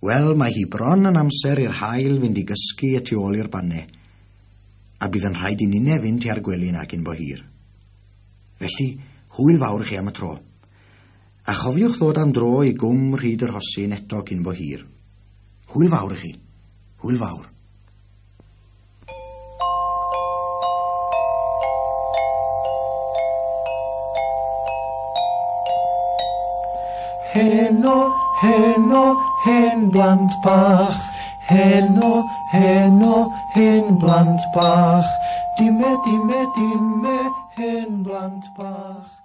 Wel, mae hi bron yn amser i'r haul fynd i gysgu y tu ôl i'r banne, a bydd yn rhaid i ninne fynd tua'r gwely 'na cyn bo hir. Felly, hwyl fawr i chi am y tro. A chofiwch ddod am dro i gwm Rhyd yr Rhosyn eto cyn bo hir. Hwyl fawr i chi. Hwyl fawr. Heno, heno, hen blant bach. Heno, heno, hen blant bach. Dime, dime, dime, hen blant bach.